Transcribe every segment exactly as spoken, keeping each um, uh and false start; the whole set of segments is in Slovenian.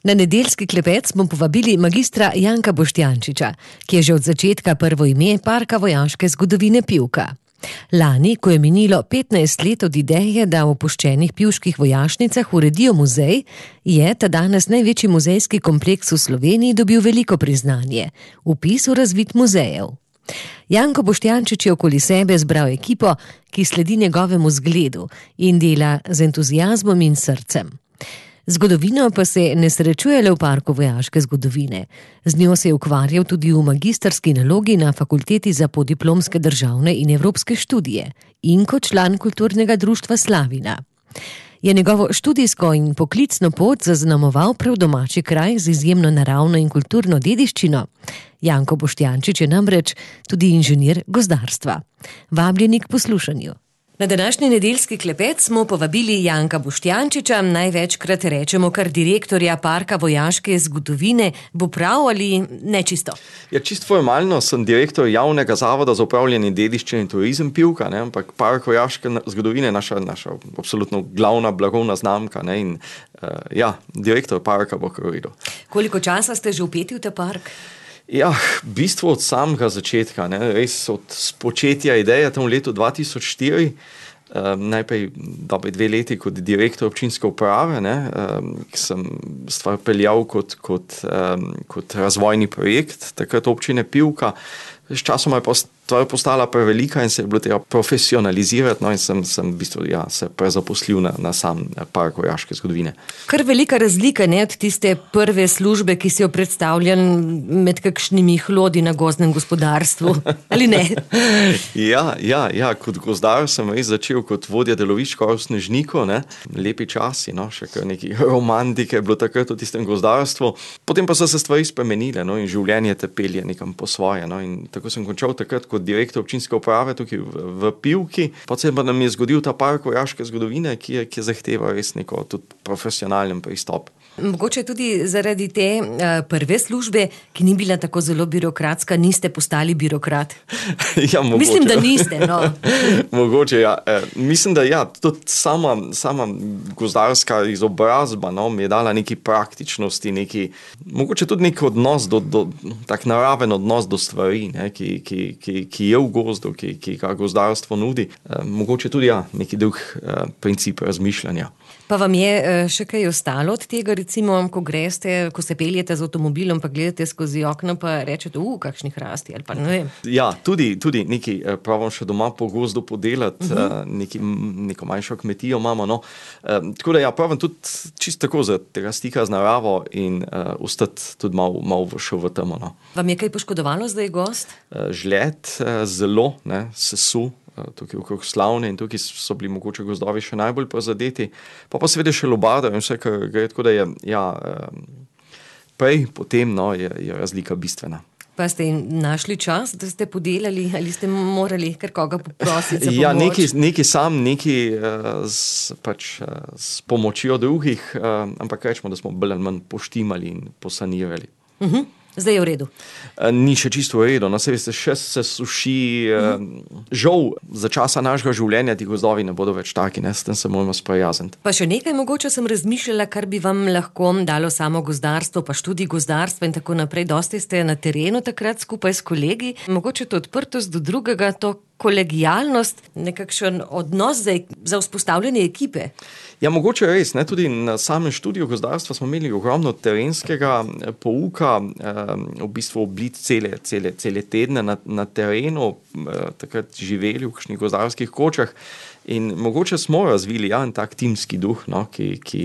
Na nedeljski klepet smo povabili magistra Janka Boštjančiča, ki je že od začetka prvo ime Parka vojaške zgodovine Pivka. Lani, ko je minilo petnajst let od ideje, da v opuščenih pivških vojašnicah uredijo muzej, je ta danes največji muzejski kompleks v Sloveniji dobil veliko priznanje, vpis v razvid muzejev. Janko Boštjančič je okoli sebe zbral ekipo, ki sledi njegovemu zgledu in dela z entuziazmom in srcem. Zgodovino pa se ne srečuje le v Parku vojaške zgodovine. Z njo se je ukvarjal tudi v magistrski nalogi na Fakulteti za podiplomske državne in evropske študije in kot član kulturnega društva Slavina. Je njegovo študijsko in poklicno pot zaznamoval prav domači kraj z izjemno naravno in kulturno dediščino. Janko Boštjančič je namreč tudi inženir gozdarstva. Vabljeni k poslušanju. Na današnji nedeljski klepet smo povabili Janka Boštjančiča, največkrat rečemo kar direktorja Parka vojaške zgodovine. Bo prav ali nečisto? Ja, čisto formalno sem direktor javnega zavoda za upravljanje dediščine in turizem Pivka, ne? Ampak Park vojaške zgodovine je naša, naša absolutno glavna blagovna znamka, ne? In uh, ja, direktor parka bo kar videl. Koliko časa ste že vpeti v ta park? Ja, v bistvu od samega začetka, ne, res od spočetja ideje tam v letu dva tisoč štiri, um, najprej dobi dve leti kot direktor občinske uprave, ne, um, ki sem stvar peljal kot, kot, um, kot razvojni projekt, takrat občine Pivka. S časom je stvar postala prevelika in se je bilo treba profesionalizirati, no in sem, sem v bistvu ja, se prezaposlil na, na sam Park vojaške zgodovine. Kar velika razlika, ne, od tiste prve službe, ki si jo predstavljal med kakšnimi hlodi na gozdnem gospodarstvu, ali ne? ja, ja, ja, kot gozdar sem res začel kot vodja delovišč v Snežniku, ne, lepi časi, no, še kar neki romantike je bilo takrat v tistem gozdarstvu. Potem pa so se stvari spremenile, no, in življenje te pelje nekam po svoje, no, in tako sem končal takrat kot direktor občinske uprave tukaj v, v Pivki. Potem pa nam je zgodil ta Park vojaške zgodovine, ki je, ki je zahteval res neko tudi profesionalen pristop. Mogoče tudi zaradi te uh, prve službe, ki ni bila tako zelo birokratska, niste postali birokrat? ja, mogoče. Mislim, da niste, no. mogoče, ja. E, mislim, da ja, tudi sama, sama gozdarska izobrazba, no, mi je dala neki praktičnosti, neki, mogoče tudi neki odnos, do, do, tak naraven odnos do stvari, ne, ki, ki, ki, ki je v gozdu, ki, ki ga gozdarstvo nudi. E, mogoče tudi ja, neki drug e, princip razmišljanja. Pa vam je e, še kaj ostalo od tega, recimo, ko greste, ko se peljete z avtomobilom, pa gledate skozi okno, pa rečete, uh, kakšni hrasti, ali pa ne vem. Ja, tudi, tudi neki, pravim še doma po gozdu podelati, uh -huh. neki, neko manjšo kmetijo imamo, no. E, tako da ja, pravim tudi čisto tako za tega stika z naravo in uh, ostati tudi malo, malo šel v temo, no. Vam je kaj poškodovalo zdaj gozd? E, žled, e, zelo, ne, sesu. Tukaj okrog Slavne in tukaj so bili mogoče gozdovi še najbolj prizadeti, pa pa seveda še lubada in vse, kar gre, tako da je, ja, prej, potem, no, je, je razlika bistvena. Pa ste našli čas, da ste podelali, ali ste morali kar koga poprositi za pomoč? Ja, neki, neki sam, neki s, pač, s pomočjo drugih, ampak rečemo, da smo bolj ali manj poštimali in posanirali. Uh-huh. Zdaj je v redu. Ni še čisto v redu, no, se veste, še se suši. Mm. Žal, za časa našega življenja ti gozdovi ne bodo več taki, ne, s tem se moramo sprijazniti. Pa še nekaj mogoče sem razmišljala, kar bi vam lahko dalo samo gozdarstvo, pa študij gozdarstva in tako naprej. Dosti ste na terenu takrat skupaj s kolegi. Mogoče to odprtost do drugega, to kolegijalnost, nekakšen odnos za, za vzpostavljanje ekipe. Ja, mogoče res, ne, tudi na samem študiju gozdarstva smo imeli ogromno terenskega pouka, v bistvu oblit cele, cele, cele tedne na, na terenu, takrat živeli v kakšnih gozdarskih kočah in mogoče smo razvili ja, en tak timski duh, no, ki, ki,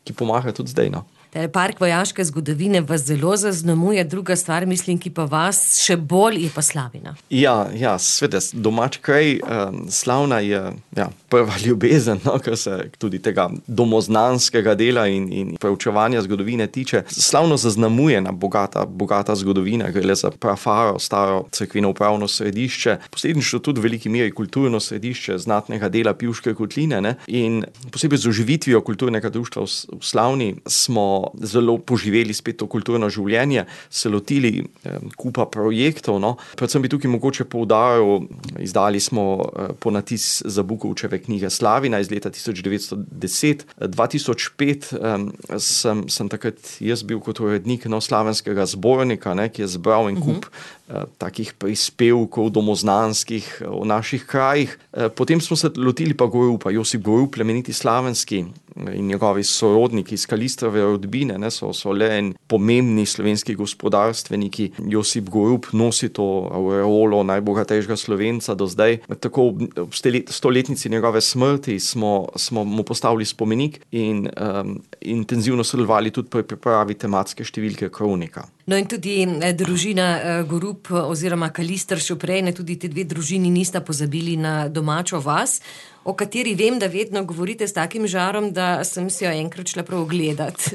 ki pomaga tudi zdaj, no. Park vojaške zgodovine vas zelo zaznamuje, druga stvar, mislim, ki pa vas še bolj, je pa Slavina. Ja, ja, sveda, domač kraj, um, Slavna je ja, prva ljubezen, no, kar se tudi tega domoznanskega dela in, in preučevanja zgodovine tiče. Slavno zaznamuje na bogata, bogata zgodovina, gre za prafaro, staro cerkveno upravno središče, posledično tudi v veliki meri kulturno središče znatnega dela Pivške kotline, ne, in posebej z oživitvijo kulturnega društva v, v Slavni smo smo zelo poživeli spet to kulturno življenje, se lotili eh, kupa projektov. No. Predvsem bi tukaj mogoče poudaril, izdali smo eh, ponatis Zabukovčeve knjige Slavina iz leta tisoč devetsto deset. dva tisoč pet eh, sem, sem takrat jaz bil kot urednik no, slavenskega zbornika, ne, ki je zbral en kup uh-huh. takih prispevkov domoznanskih o naših krajih. Potem smo se lotili pa Gorupa. Josip Gorup, plemeniti slavenski in njegovi sorodniki iz Kalistrove rodbine, ne, so, so le en pomembni slovenski gospodarstveniki. Josip Gorup nosi to aureolo najbogatejšega Slovenca do zdaj. Tako v stoletnici njegove smrti smo, smo mu postavili spomenik in um, intenzivno sodelovali tudi pri pripravi tematske številke Kronika. No in tudi eh, družina eh, Gorup oziroma Kalister še prej, ne, tudi te dve družini nista pozabili na domačo vas, o kateri vem, da vedno govorite s takim žarom, da sem si jo enkrat šla prav ogledat.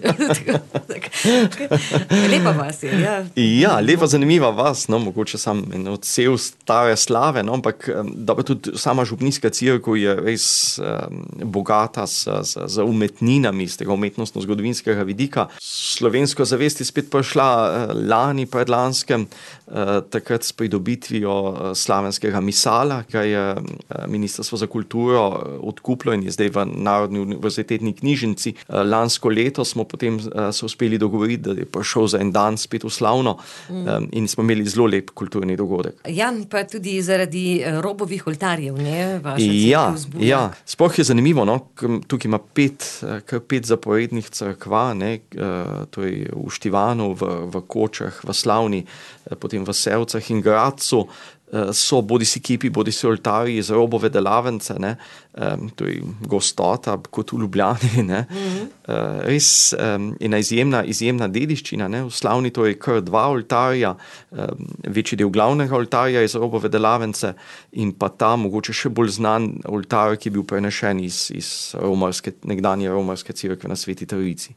Lepa vas je, ja. Ja, lepa, zanimiva vas, no, mogoče sam en odsev stare slave, no, ampak dobro, tudi sama župnijska cerkev je res um, bogata z, z, z umetninami, z tega umetnostno-zgodovinskega vidika. Slovensko zavest je spet prišla uh, lani, predlanskem, uh, takrat s pridobitvijo uh, slavenskega misala, ki je uh, Ministrstvo za kulturo odkuplo in je zdaj v Narodni univerzitetni knjižnici. Lansko leto smo potem se uspeli dogovoriti, da je prišel za en dan spet v Slavno mm. in smo imeli zelo lep kulturni dogodek. Ja, pa tudi zaradi robovih oltarjev, ne? Vaša ja, ja, sploh je zanimivo, no? Tukaj ima pet, kar pet zaporednih cerkva, ne? To je v Štivanu, v, v Kočah, v Slavni, potem v Sevcah in Gradcu. So bodi si kipi, bodi si oltarji iz robove delavnice, ne, um, to je gostota kot v Ljubljani, ne, mm-hmm. uh, res um, ena izjemna, izjemna dediščina, ne, v Slavni to je kar dva oltarja, um, večji del glavnega oltarja iz robove delavnice in pa ta mogoče še bolj znan oltar, ki je bil prenešen iz, iz romarske, nekdanje romarske cerkve na Sveti Trojici.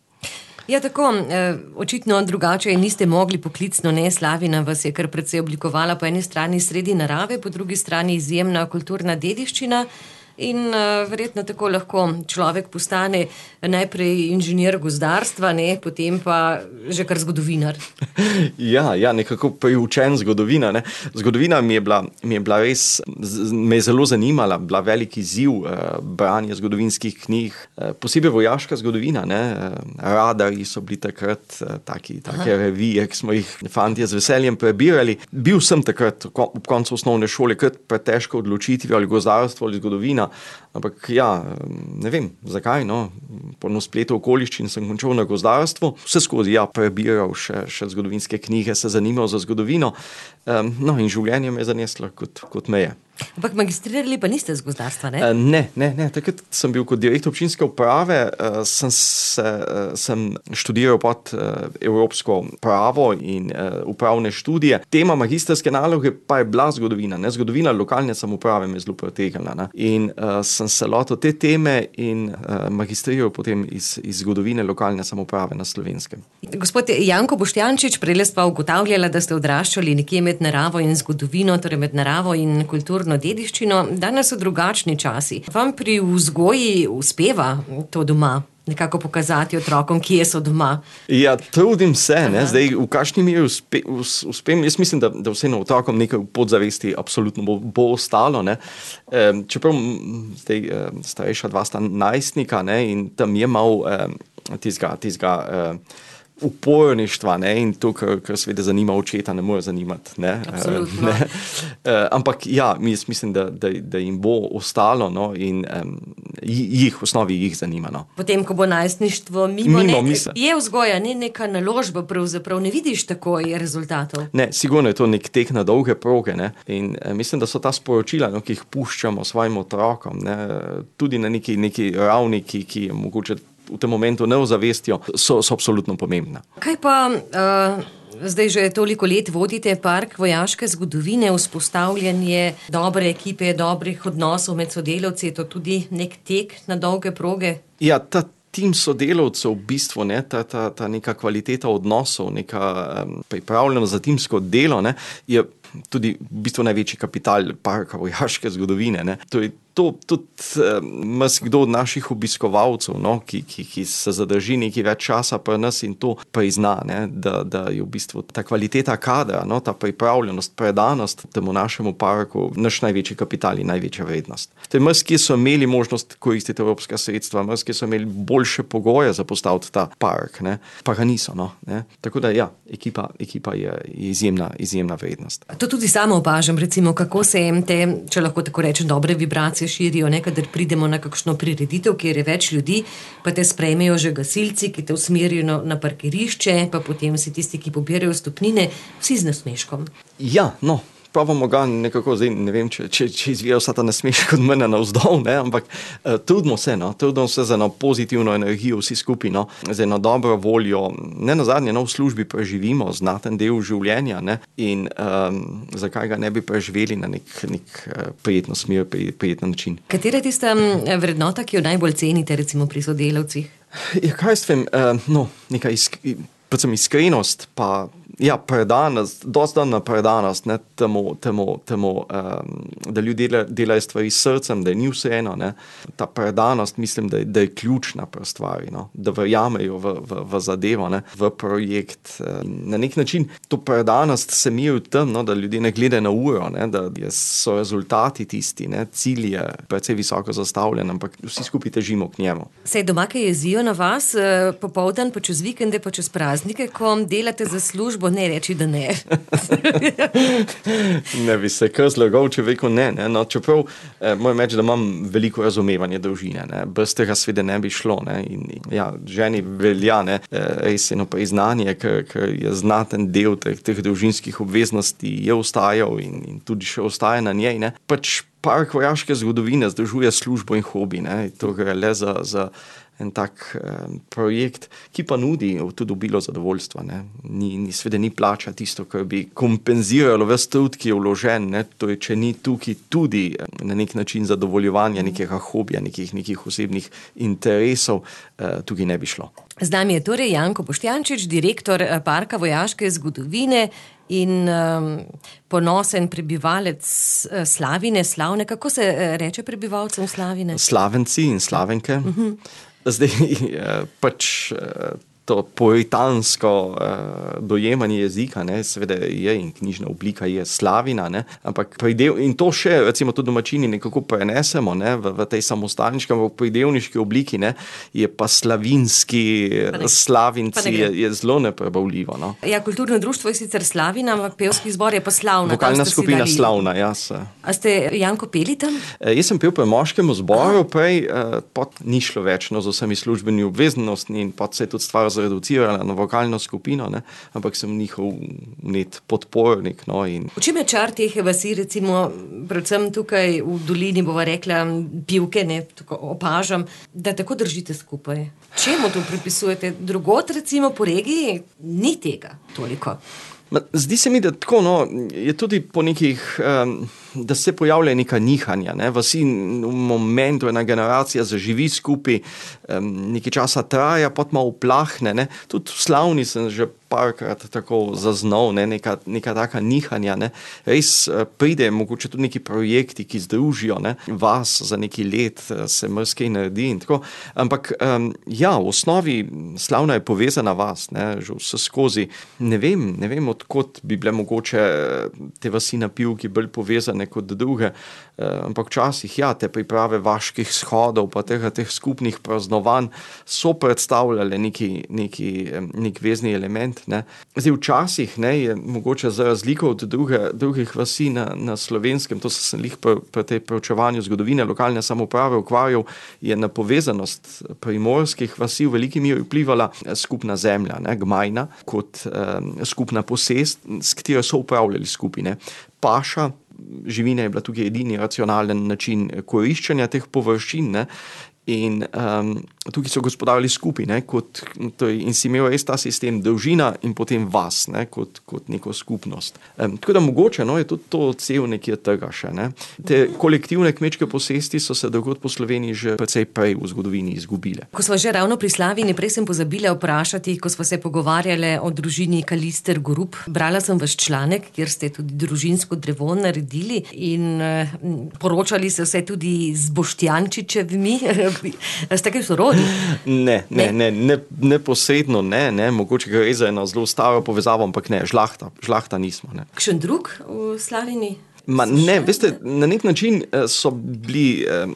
Ja, tako, očitno drugače niste mogli poklicno, ne, Slavina vas je kar precej oblikovala, po eni strani sredi narave, po drugi strani izjemna kulturna dediščina in uh, verjetno tako lahko človek postane najprej inženir gozdarstva, ne, potem pa že kar zgodovinar. Ja, ja, nekako priučen zgodovina, ne. Zgodovina mi je bila, mi je bila res, me je zelo zanimala, bila velik izziv eh, branje zgodovinskih knjig, eh, posebej vojaška zgodovina, ne. Radarji so bili takrat eh, taki, take revije, ki smo jih fantje z veseljem prebirali. Bil sem takrat ob koncu osnovne šole kar pretežko odločitvi ali gozdarstvo ali zgodovina, ampak ja, ne vem, zakaj, no, po spletu okoliščin sem končal na gozdarstvu, vse skozi, ja, prebiral še, še zgodovinske knjige, se zanimal za zgodovino, um, no, in življenje me je zaneslo kot, kot me je. Ampak magistrirali pa niste z gozdarstva, ne? Uh, ne, ne, ne, takrat sem bil kot direktor občinske uprave, uh, sem, se, uh, sem študiral pod uh, evropsko pravo in uh, upravne študije. Tema magistrske naloge pa je bila zgodovina, ne, zgodovina lokalne samouprave me je zelo pretegnila, ne, in uh, sem se lotil te teme in uh, magistriral potem iz, iz zgodovine lokalne samouprave na Slovenskem. Gospod Janko Boštjančič, prej pa ugotavljala, da ste odraščali nekje med naravo in zgodovino, torej med naravo in kulturno dediščino. Danes so drugačni časi. Vam pri vzgoji uspeva to doma nekako pokazati otrokom, kje so doma? Ja, trudim se, ne, zdaj v kakšni meri uspe, uspem, jaz mislim, da, da vseeno otrokom nekaj v podzavesti absolutno bo, bo ostalo, ne. E, čeprav zdaj e, starejša dva sta najstnika, ne, in tam je mal e, tizga, tizga e, uporništva, ne, in to, kar, kar seveda zanima očeta, ne more zanimati, ne. Absolutno. Ne. E, ampak ja, jaz mislim, da, da, da jim bo ostalo, no, in um, jih, v osnovi jih zanima, no. Potem, ko bo najstništvo mimo, mimo ne, misle. Je vzgoja, ne neka naložba, pravzaprav ne vidiš takoj rezultatov. Ne, sigurno je to nek tek na dolge proge, ne, in e, mislim, da so ta sporočila, no, ki jih puščamo svojim otrokom, ne, tudi na neki, neki ravni, ki, ki je mogoče v tem momentu ne ozavestijo, so, so absolutno pomembna. Kaj pa, uh, zdaj že toliko let vodite Park vojaške zgodovine, vzpostavljanje dobre ekipe, dobrih odnosov med sodelavci, je to tudi nek tek na dolge proge? Ja, ta tim sodelavcev v bistvu, ne, ta, ta, ta neka kvaliteta odnosov, neka um, pripravljenost za timsko delo, ne, je tudi v bistvu največji kapital parka vojaške zgodovine, ne. To je to tudi um, kdo od naših obiskovalcev, no, ki, ki, ki se zadrži nekaj več časa pri nas in to prizna, ne, da, da je v bistvu ta kvaliteta kadra, no, ta pripravljenost, predanost temu našemu parku naš največji kapital in največja vrednost. Mrski so imeli možnost koristiti evropska sredstva, mrski so imeli boljše pogoje za postaviti ta park, ne, pa ga niso. No, ne. Tako da ja, ekipa, ekipa je izjemna, izjemna vrednost. To tudi sama opažam, recimo, kako se te, če lahko tako rečem, dobre vibracije širijo, ne, kadar pridemo na kakšno prireditev, kjer je več ljudi, pa te sprejmejo že gasilci, ki te usmerijo na, na parkirišče, pa potem si tisti, ki pobirajo stopnine, vsi z nasmeškom. Ja, no. Pravimo ga nekako, zdaj ne vem, če, če, če izvija vsa ta nasmeška od mene navzdol, ne, ampak uh, trudimo se, no, trudimo se za eno pozitivno energijo vsi skupaj, no, za eno dobro voljo, ne nazadnje, no, v službi preživimo znaten del življenja, ne, in um, zakaj ga ne bi preživeli na nek, nek uh, prijetno smer, prijeten način. Katera je tista vrednota, ki jo najbolj cenite, recimo pri sodelavcih? Ja, kaj s tem, uh, no, neka isk, predvsem iskrenost, pa ja, predanost, dosti na predanost, ne, temu, temu, temu um, da ljudje dela, delajo stvari s srcem, da je ni vseeno, ne. Ta predanost, mislim, da je, da je ključna pri stvari, no, da verjamejo v, v, v zadevo, ne, v projekt. Na nek način to predanost se mi je v tem, no, da ljudje ne gledajo na uro, ne, da so rezultati tisti, ne, cilj je precej visoko zastavljen, ampak vsi skupaj težimo k njemu. Se doma kaj jezijo na vas, popoldan, pa čez vikende, pa čez praznike, ko delate za službo? Ne reči, da ne. Ne bi se kar zlagal, če rekel ne. ne? No, čeprav eh, moram reči, da imam veliko razumevanje družine. Ne? Brez tega sveda ne bi šlo. Ne? In, ja, ženi velja, ne? Res eno priznanje, ker, ker je znaten del teh, teh družinskih obveznosti je ostajal in, in tudi še ostaja na njej. Ne? Pač park vojaške zgodovine združuje službo in hobi. Ne? To gre le za, za en tak um, projekt, ki pa nudi tudi obilo zadovoljstva. Ne? Ni, ni, sveda ni plača tisto, kar bi kompenziralo ves trud, ki je vložen. Ne? Torej, če ni tukaj tudi na nek način zadovoljevanja nekega hobija, nekih, nekih osebnih interesov, uh, tukaj ne bi šlo. Z nami je torej Janko Boštjančič, direktor Parka vojaške zgodovine in um, ponosen prebivalec uh, Slavine, Slavne. Kako se uh, reče prebivalcem Slavine? Slavenci in Slavenke. Uh-huh. Zdaj, pač to poetansko uh, dojemanje jezika, ne, seveda je in knjižna oblika je Slavina, ne, ampak pridev, in to še, recimo, to domačini nekako prenesemo, ne, v, v tej samostalniški, v pridevniški obliki, ne, je pa slavinski, pa slavinci, je, je zelo neprebavljivo, no. Ja, kulturno društvo je sicer Slavina, ampak pevski zbor je pa Slavna. Vokalna skupina Slavna, jaz. A ste, Janko, peli tam? E, jaz sem pel pri moškemu zboru, prej uh, pot ni šlo več, no, z vsemi službeni obveznostmi in pot se je tudi stvar zreducirala na vokalno skupino, ne, ampak sem njihov net podpornik. No, in... V čem je čar teh vasi, recimo, predvsem tukaj v dolini, bova rekla, Pivke, ne, tako opažam, da tako držite skupaj? Čemu to pripisujete? Drugot, recimo, po regiji ni tega toliko. Zdi se mi, da tako, no, je tudi po nekih, um, da se pojavlja neka nihanja, ne, vasi v momentu ena generacija zaživi skupaj, um, nekaj časa traja, pot malo uplahne, ne, tudi v Slavni sem že parkrat tako zaznal, ne, neka, neka taka nihanja, ne, res pride mogoče tudi neki projekti, ki združijo, ne, vas za neki let se marsikaj naredi in tako, ampak um, ja, v osnovi Slavna je povezana vas, ne, že vse skozi, ne vem, ne vem, odkot bi bile mogoče te vasi na Pivki bolj povezane kot druge, ampak včasih, ja, te priprave vaških shodov, pa teh, teh skupnih praznovanj so predstavljale neki, neki, nek vezni element, ne. Zdaj, včasih, ne, je mogoče za razliko od druge, drugih vasi na, na Slovenskem, to sem lih pri, pri tej preučevanju zgodovine lokalne samouprave ukvarjal, je na povezanost primorskih vasi v veliki meri vplivala skupna zemlja, ne, gmajna, kot um, skupna posest, s katero so upravljali skupine. Paša, živina je bila tukaj edini racionalen način koriščenja teh površin, ne, in um, tukaj so gospodarili skupaj, ne, kot, to je, in si imel res ta sistem dolžina in potem vas, ne, kot, kot neko skupnost. Um, tako da mogoče, no, je tudi to odsev nekje tega še, ne. Te kolektivne kmečke posesti so se drugod po Sloveniji že precej prej v zgodovini izgubile. Ko smo že ravno pri Slavini, prej sem pozabila vprašati, ko smo se pogovarjali o družini Kalister Gorup. Brala sem vaš članek, kjer ste tudi družinsko drevo naredili in uh, poročali se vse tudi z Boštjančičevimi. Ste kaj sorodi? Ne, ne, ne, ne, neposredno ne, ne, mogoče gre za eno zelo staro povezavo, ampak ne, žlahta, žlahta nismo. Ne. Kakšen drug v Slavini? Ma ne, veste, na nek način so bili eh,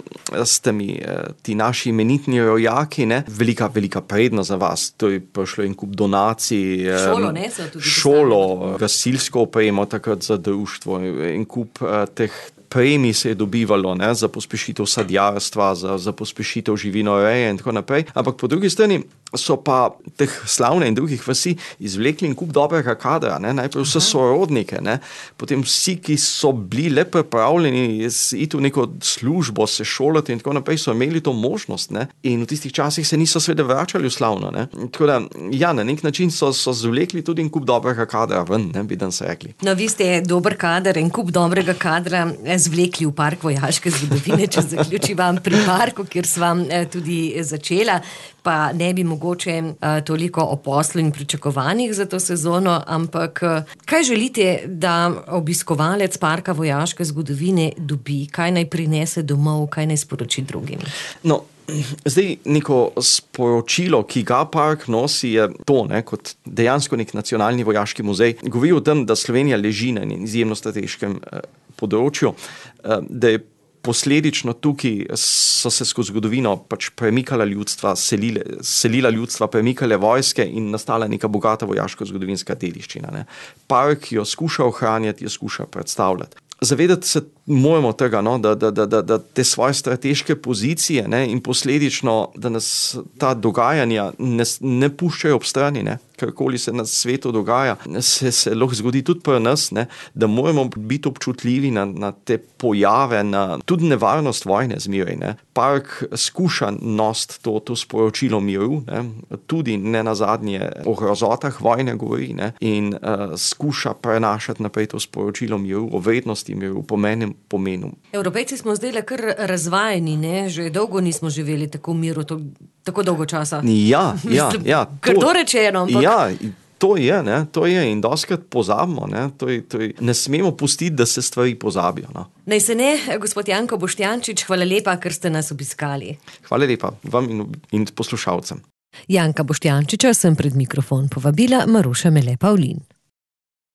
s temi eh, ti naši imenitni rojaki, ne, velika, velika prednost za vas. To je prišlo en kup donacij. Eh, šolo, ne, so tudi šolo, gasilsko opremo takrat za društvo, en kup eh, teh premij se je dobivalo, ne, za pospešitev sadjarstva, za, za pospešitev živinoreje in tako naprej. Ampak po drugi strani so pa teh Slavne in drugih vasi izvlekli in kup dobrega kadra, ne, najprej vse sorodnike, ne, potem vsi, ki so bili le pripravljeni iti v neko službo, se šolati in tako naprej, so imeli to možnost, ne, in v tistih časih se niso sveda vračali v Slavno, ne. Tako da, ja, na nek način so, so zvlekli tudi in kup dobrega kadra ven, ne, bi dan se rekli. No, vi ste dober kader in kup dobrega kadra zvlekli v park vojaške zgodovine, če zaključiva pri parku, kjer sva tudi začela, pa ne bi mogoče uh, toliko o poslu in pričakovanjih za to sezono, ampak uh, kaj želite, da obiskovalec parka vojaške zgodovine dobi, kaj naj prinese domov, kaj naj sporoči drugim? No, zdaj neko sporočilo, ki ga park nosi, je to, ne, kot dejansko nek nacionalni vojaški muzej. Govori o tem, da Slovenija leži na enem izjemno strateškem uh, področju, uh, da je posledično tukaj so se skozi zgodovino pač premikala ljudstva, selile, selila ljudstva, premikale vojske in nastala neka bogata vojaško-zgodovinska dediščina. Ne. Park jo skuša ohranjati, jo skuša predstavljati. Zavedati se moramo tega, no, da, da, da, da te svoje strateške pozicije, ne, in posledično, da nas ta dogajanja ne, ne puščajo ob strani, ne, karkoli se na svetu dogaja, se, se lahko zgodi tudi pri nas, ne, da moramo biti občutljivi na, na te pojave, na tudi nevarnost vojne zmeraj. Ne. Park skuša nositi to, to sporočilo miru, ne, tudi ne nazadnje o grozotah vojne govori, ne, in uh, skuša prenašati naprej to sporočilo miru, o vrednosti miru, pomenem pomenu. Evropejci smo zdaj le kar razvajeni, ne? Že dolgo nismo živeli tako v miru, to, tako dolgo časa. Ja, ja, ja. Kar to rečeno, ampak... Ja, to je, ne, to je in doskrat pozabimo, ne, to je, to je, ne smemo pustiti, da se stvari pozabijo, no. Naj se ne, gospod Janko Boštjančič, hvala lepa, ker ste nas obiskali. Hvala lepa vam in, in poslušalcem. Janka Boštjančiča sem pred mikrofon povabila Maruša Mele Pavlin.